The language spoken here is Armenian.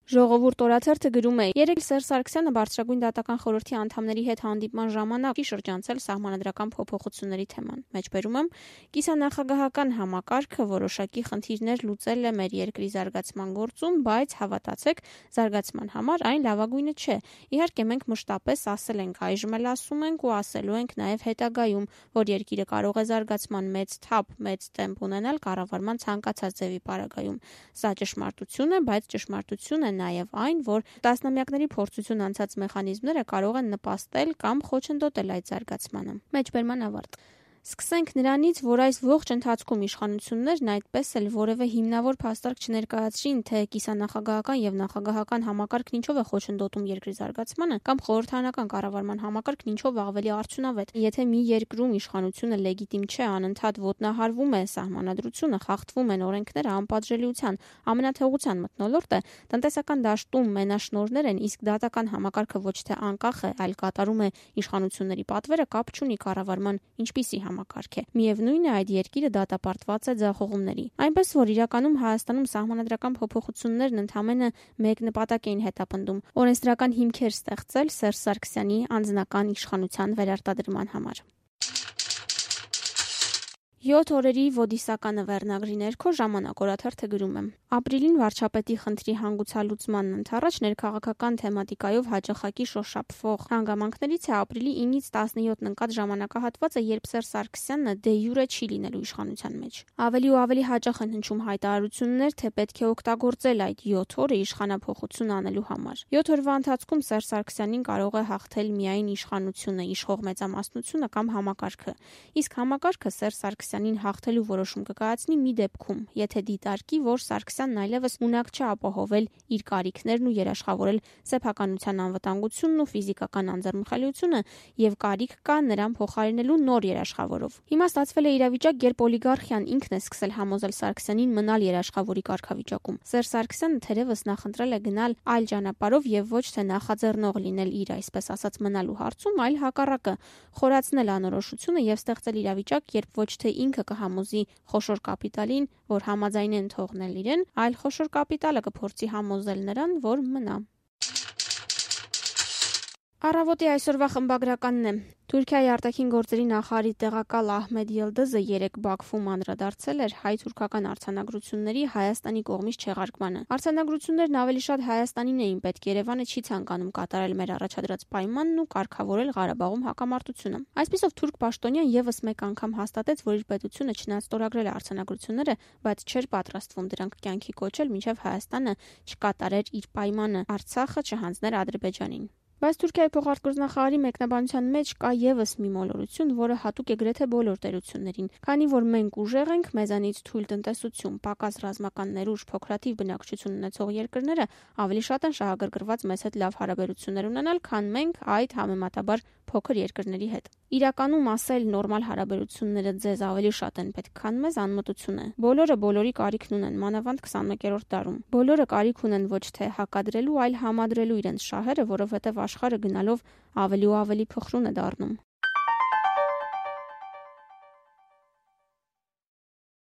Ժողովուրդ օրաթերթը գրում է. «Երեկ Սերժ Սարգսյանը Բարձրագույն դատական խորհրդի անդամների հետ հանդիպման ժամանակ շրջանցել սահմանադրական փոփոխությունների թեման։ Մեջբերում եմ, կիսանախագահական համակարգը որոշակի խնդիրներ լուծել է մեր երկրի զարգացման գործում, բայց հավատացեք, զարգացման համար այն լավագույնը չէ։ Իհարկե մենք մշտապես ասել ենք, այժմ էլ ասում ենք ու ասելու ենք նաև հետագայում, որ երկիրը կարող է զարգացման մեծ թափ, մեծ տեմպ ունենալ կառավարման ցանկացած ձևի պարագայում։ Սա ճշմարտություն է, բայց ճշմարտություն է նաև այն, որ տասնամյակների փորձություն անցած մեխանիզմները կարող են նպաստել կամ խոչընդոտել այդ զարգացմանը»։ Մեջբերման ավարտ։ Սկսենք նրանից, որ այս ողջ ընթացքում իշխանություններն այդպես էլ որևէ հիմնավոր փաստարկ չներկայացրին, թե կիսանախագահական եւ նախագահական համակարգն ինչով է խոչընդոտում երկրի զարգացմանը, կամ խորհրդարանական կառավարման համակարգն ինչով ավելի արդյունավետ։ Եթե մի երկրում իշխանությունը լեգիտիմ չէ, անընդհատ ոտնահարվում է սահմանադրությունը, խախտվում են օրենքները, անպատժելիության, ամենաթողության մթնոլորտ է, տնտեսական դաշտում մենաշնորհներ են, իսկ դատական համակարգը ոչ թե անկախ է, այլ կատարում է իշխանությունների պատվերը, կապ չունի կառավարման ինչպիսի համակարգ է։ Միևնույն է, այդ երկիրը դատապարտված է ձախողումների։ Այնպես որ իրականում Հայաստանում սահմանադրական փոփոխություններն ընդամենը մեկ նպատակ էին հետապնդում՝ օրենսդրական հիմքեր ստեղծել Սերժ Սարգսյանի անձնական իշխանության վերարտադրման համար։ 7 օրերի ոդիսականը վերնագրի ներքո Ժամանակ օրաթերթը գրում է. Ապրիլին վարչապետի խնդրի հանգուցալուծմանն ընդառաջ ներքաղաքական թեմատիկայով հաճախակի շոշափվող հանգամանքներից է ապրիլի 9-ից 17 ընկած ժամանակահատվածը, երբ Սերժ Սարգսյանը դե յուրե չի լինելու իշխանության մեջ։ Ավելի ու ավելի հաճախ են հնչում հայտարարություններ, թե պետք է օգտագործել այդ 7 օրը իշխանափոխություն անելու համար։ 7 օրվա ընթացքում Սերժ Սարգսյանին կարող է հաղթել միայն իշխանությունը, իշխող մեծամասնությունը կամ համակարգը։ Իսկ համակարգը Սերժ Սարգսյանին հաղթելու որոշում կկայացնի մի դեպքում, եթե դիտարկի, որ Սարգսյանն այլևս ունակ չէ ապահովել իր կարիքներն ու երաշխավորել սեփականության անվտանգությունն ու ֆիզիկական անձեռնխելիությունը եւ կարիք կա նրան փոխարինելու նոր երաշխավորով։ Հիմա ստացվել է իրավիճակ, երբ օլիգարխիան ինքն է սկսել համոզել Սարգսյանին մնալ երաշխավորի կարգավիճակում։ Սերժ Սարգսյանը թերևս նախընտրել է գնալ այլ ճանապարհով եւ ոչ թե նախաձեռնող լինել իր այսպես ասած մնալու հարցում, այլ հակառակը՝ խորացնել անորոշությունը եւ ստեղծել իրավիճակ, երբ ոչ թե ինքը կհամոզի խոշոր կապիտալին, որ համաձայնեն թողնել իրեն, այլ խոշոր կապիտալը կփորձի համոզել նրան, որ մնա։ Առավոտի այսօրվա խմբագրականն է. Թուրքիայի արտաքին գործերի նախարարի տեղակալ Ահմեդ Յիլդիզը երեկ Բաքվում անդրադարձել էր հայ-թուրքական արձանագրությունների Հայաստանի կողմից չեղարկմանը։ Արձանագրություններն ավելի շատ Հայաստանին էին պետք, Երևանը չի ցանկանում կատարել մեր առաջադրած պայմանն ու կարգավորել Ղարաբաղում հակամարտությունը։ Այսպիսով թուրք պաշտոնյան եւս մեկ անգամ հաստատեց, որ իր պետությունը չնայած ստորագրել է արձանագրությունները, բայց չէր պատրաստվում դրանք կյանքի կոչել, մինչև Հայաստանը չկատարեր իր պայմանը, Արցախը չհանձներ Ադրբեջանին։ Բայց Թուրքիայի փոխարտգործնախարարի մեկնաբանության մեջ կա եւս մի մոլորություն, որը հատուկ է գրեթե բոլոր տերություններին։ Քանի որ մենք ուժեղ ենք, մեզանից թույլ տնտեսություն, պակաս ռազմական ներուժ, փոքրաթիվ բնակչություն ունեցող երկրները ավելի շատ են շահագրգռված մեզ հետ լավ հարաբերություններ ունենալ, քան մենք այդ համեմատաբար փոքր երկրների հետ։ Իրականում ասել նորմալ հարաբերությունները ձեզ ավելի շատ են պետք, քան մեզ անմտություն է։ Բոլորը բոլորի կարիքն ունեն, մանավանդ 21-րդ դարում։ Բոլորը կարիք ունեն ոչ թե հակադրելու, այլ համադրելու իրենց շահերը, որովհետև աշխարհը գնալով ավելի ու ավելի փխրուն է դառնում։